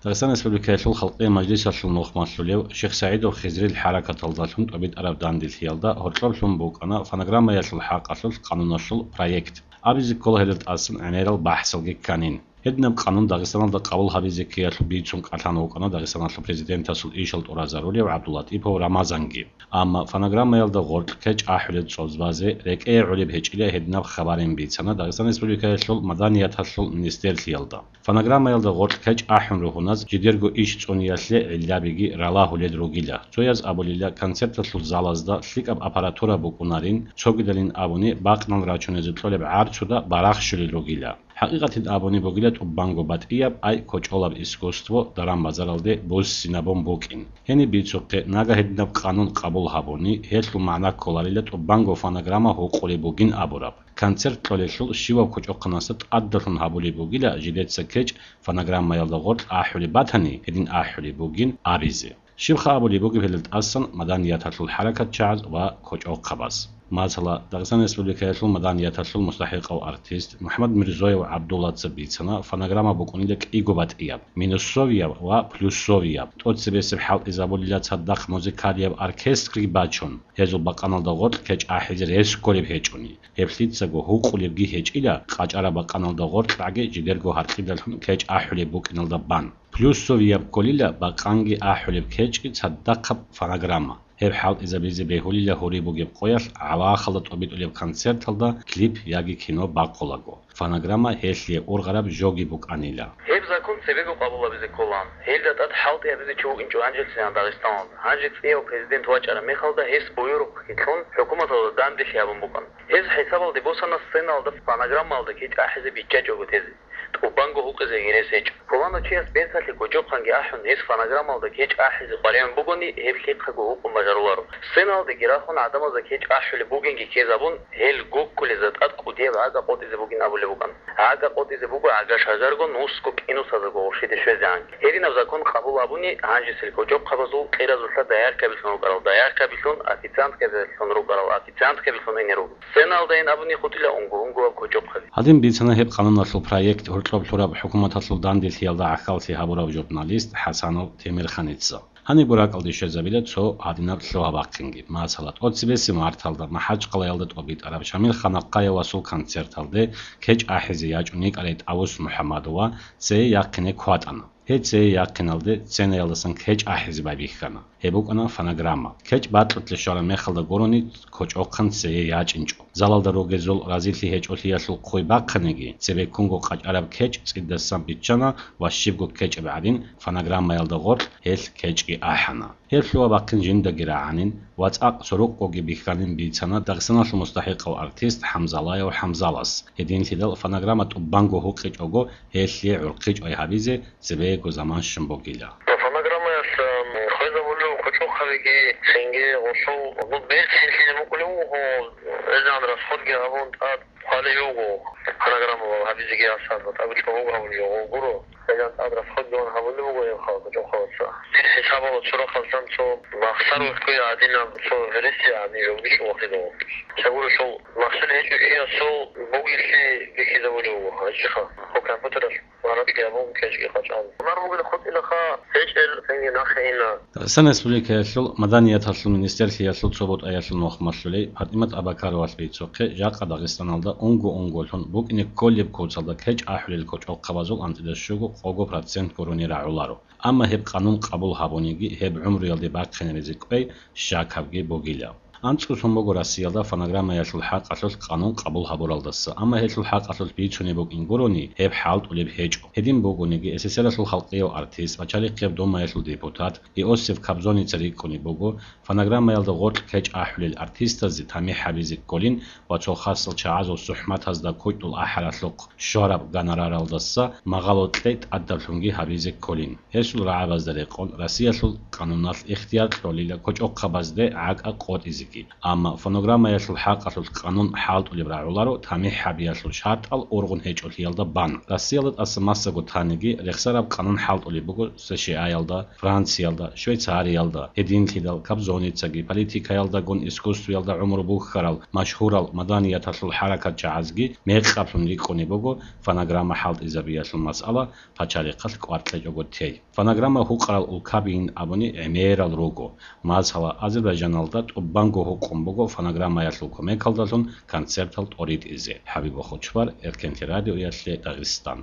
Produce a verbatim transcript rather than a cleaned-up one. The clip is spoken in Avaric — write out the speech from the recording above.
Дагъистан Республикаялъул Халкъиял Мажлисалъул нухмалъулев Шихсагьидов Хизрил хӀаракаталдалъун тӀобитӀараб данделъиялда гьоркьоблъун букӀана фонограммаялъул хӀакъалъулъ къануналъул проект. Абизе ккола гьелда тӀасан гӀемерал бахӀсалги кканин. Гьединаб къанун Дагъистаналда къабул гьабизе ккеялъул бицун кӀалъан вукӀана Дагъистаналъул президентасул ишал тӀуразарулев ГӀабдуллатӀипов Рамазанги. Амма фонограммаялда гъоркь кечӀ ахӀулел цӀоз базе рекӀее гӀолеб гьечӀила гьединаб хабарин бицана Дагъистан Республикаялъул маданияталъул министерлъиялда. Фонограммаялда гъоркь кечӀ ахӀун ругьуназ жидерго иш цӀуниялъе гӀиллабиги ралагьулел ругила. Цояз абулила, концерталъул залазда лъикӀаб аппаратура букӀунарин, цогидалин абуни, бакънал рачунезе кьолеб гӀарцуда барахщулел ругила. ХӀакъикъатин абуни бугила тӀубанго батӀияб, ай кочӀолаб искусство даран-базаралде буссинабун букӀин. Гьениб бицухъе, нага гьединаб къанун къабул гьабуни, гьелъул магӀна кколарила тӀубанго фонограмма гьукъулеб бугин абураб. Концерт кьолелъул щиваб кочӀохъанасда тӀадалъун гьабулеб бугила жидеца кечӀ фонограммаялда гъоркь ахӀулеб батани, гьедин ахӀулеб бугин абизе. Щибха абулеб бугеб гьелда тӀасан маданияталъул хӀаракатчагӀаз ва кочӀохъабаз? Масала, Дагъистан Республикаялъул маданияталъул мустахӀикъав артист МухӀаммад Мирзоев ГӀабдуллаца бицана фонограмма букӀунила кӀиго батӀияб, минусовияб ва плюсовияб, тӀоцебесеб хӀалтӀизабулила цадахъ музыкалияб оркестрги бачун, гьезул бакъаналда гъоркь кечӀ ахӀизе рес кколеб гьечӀони. Гьеб лъицаго гьукъулебги гьечӀила, къачӀараб бакъаналда гъоркьгӀаги жидерго гьаркьидалъун кечӀ ахӀулеб букӀиналда бан. Плюсовияб кколила бакъанги ахӀулеб кечӀги цадахъаб фонограмма. Гьеб хӀалтӀизабизе бегьулила гьури бугеб къоялъ гӀалахалда тӀобитӀулеб концерталда клип яги кино бакъулаго. Фонограмма гьелъие ургъараб жоги букӀанила. Гьеб закон цебего къабул гьабизе кколаан. Гьелда тӀад хӀалтӀи гьабизе чи вукӀинчӀо гьанжелъилан Дагъистаналда. Гьанже цӀияв президент вачӀараб мехалда гьес буюрухъги кьун, хӀукуматалда данделъи гьабун букӀана. Гьез хӀисабалде босана сценалда фонограммалда кечӀ ахӀизе биччачӀого тезе. ТӀубанго гьукъизе гьерес гьечӀо. Пуланав чияс берталъе кочӀохъанги ахӀун, гьес фонограммалда кечӀ ахӀизе къваригӀун бугони, гьеб лъихъаго гьукъун бажаруларо. Сценалдеги рахун гӀадамазда кечӀ ахӀулеб бугинги ккезабун, гьел гуккулезда тӀад кӀудияб гӀага къотӀизе бугин абулеб букӀана. ГӀага къотӀизе буго гӀага шажарго, нусго кӀинусазего гъурщиде щвезегӀанги. Гьединаб закон къабул гьабуни, гьанжесел кочӀохъабазул кьеразулъа дояркабилъун рукӀарал дояркабилъун, официанткабилъун рукӀарал официанткабилъун ине руго. Сценалдайин абуни хутӀила унго-унгояб кочӀохъаби. Гьадин бицана гьеб къануналъул проект гьоркьоб лъураб хӀукуматалъул данделъиялда гӀахьаллъи гьабурав журналист ХӀасанов Темирханица. Гьанибго ракӀалде щвезабила цо гьадинаб лъугьа-бахъинги. Масала, тӀоцебесеб марталда МахӀачкъалаялда тӀобитӀараб Шамил Ханахъаевасул концерталде кечӀ ахӀизе ячӀун йикӀарай ТӀавус МухӀаммадова цее яхъине кватӀана. Гьей цее яхъиналде сценаялдасан кечӀ ахӀизе байбихьана. Гьеб букӀана фонограмма. КечӀ бакьулъе щвараб мехалда гурони кочӀохъан цее ячӀинчӀо. Залалда ругезул разилъи гьечӀолъиялъул хъуй бахъаниги, цебеккунго къачӀараб кечӀ цӀидасан биччана ва щибго кечӀеб гӀадин фонограммаялда гъоркь гьелъ кечӀги ахӀана. Гьеб лъугьа-бахъин жиндаги рагӀанин ва цӀакъ сорокъгоги бихьанин бицана Дагъистаналъул мустахӀикъав артист ХӀамзалаев ХӀамзалас. Гьединлъидал фонограмма тӀубанго гьукъичӀого гьелъие гӀурхъичӀвай гьабизе цебего заман щун бугила. Фонограммаялъ, м, хвезабулев кочӀохъабиги цинги гъолъул берцинлъизе мукӀулев вуго, гьезан расходги гьабун тӀад хъвалев вуго, фонограмма гьабизеги асарла тӀаби чӀобого гьабулев гъо гуро. Гьезан тӀад расходги ван гьабулев вуго гьев хал кочӀохъабаца. Дир хӀисабалда цо рахъалъан цо махсар вехкуя гьадинаб цо гьереси гьадин жо бичӀо вахидав. Чагурушал махсар гьечӀо чиясул бугелъи бихьизабулев вуго гьачӀиха. Хъу компьютералъ. Гьаракьи абун кечӀги къачӀан. Гьунар бугел хутӀилаха, гьечӀел цинги нахъе ина. Дагъистан Республикаялъул маданияталъул министерлъиялъул цо бутӀаялъул нухмалъулей ПатӀимат Абакаровалъ бицухъе, жакъа Дагъистаналда унго-унголъун букӀине кколеб куцалда кечӀ ахӀулел кочӀохъабазул анцӀила щуго-къого процент гурони рагӀуларо. Амма гьеб къанун къабул гьабуниги, гьеб гӀумруялде бахъинаризе кӀвей щакабги бугила. АнцӀго сон буго Россиялда фонограммаялъул хӀакъалъулъ къанун къабул гьабуралдаса, амма гьелъул хӀакъалъулъ бицунеб букӀин гурони, гьеб хӀалтӀулеб гьечӀо. Гьедин бугониги, СССР-алъул Халкъияв артист, пачалихъияб Думаялъул депутат Иосиф Кобзоница рикӀкӀунеб буго, фонограммаялда гъоркь кечӀ ахӀулел артистазе тамихӀ гьабизе кколин ва цо хасал чагӀазул сухӀматазда кучӀдул ахӀаралъухъ щвараб гонораралдаса магъало кьей тӀадаб лъунги гьабизе кколин. Гьесул рагӀабазда рекъон, Россиялъул къануналъ ихтияр кьолила кочӀохъабазде гӀакӀа къотӀизе. Амма фонограммаялъул хӀакъалъулъ къанун хӀалтӀулеб рагӀуларо тамихӀ гьабиялъул шартӀал ургъун гьечӀолъиялда бан. Россиялда тӀаса массаго таниги рехсараб къанун хӀалтӀулеб буго С Ш А-ялда, Франциялда, Швейцариялда, гьединлъидал кобзоницаги, политикаялдагун искусствоялда гӀумру бухьарал, машгьурал маданияталъул хӀаракатчагӀазги мекъаблъун рикӀкӀунеб буго фонограмма хӀалтӀизабиялъул масъала пачарихъалъ кӀвар кьечӀого тей. Фонограмма гьукъарал улкабийин абуни гӀемерал руго. Масала, Азербайжаналда тӀубанго гьукъун буго фонограммаялъул кумекалдалъун концертал тӀоритӀизе. ХӀабиб Хучбар, Эркенлъи радиоялъе, Дагъистан.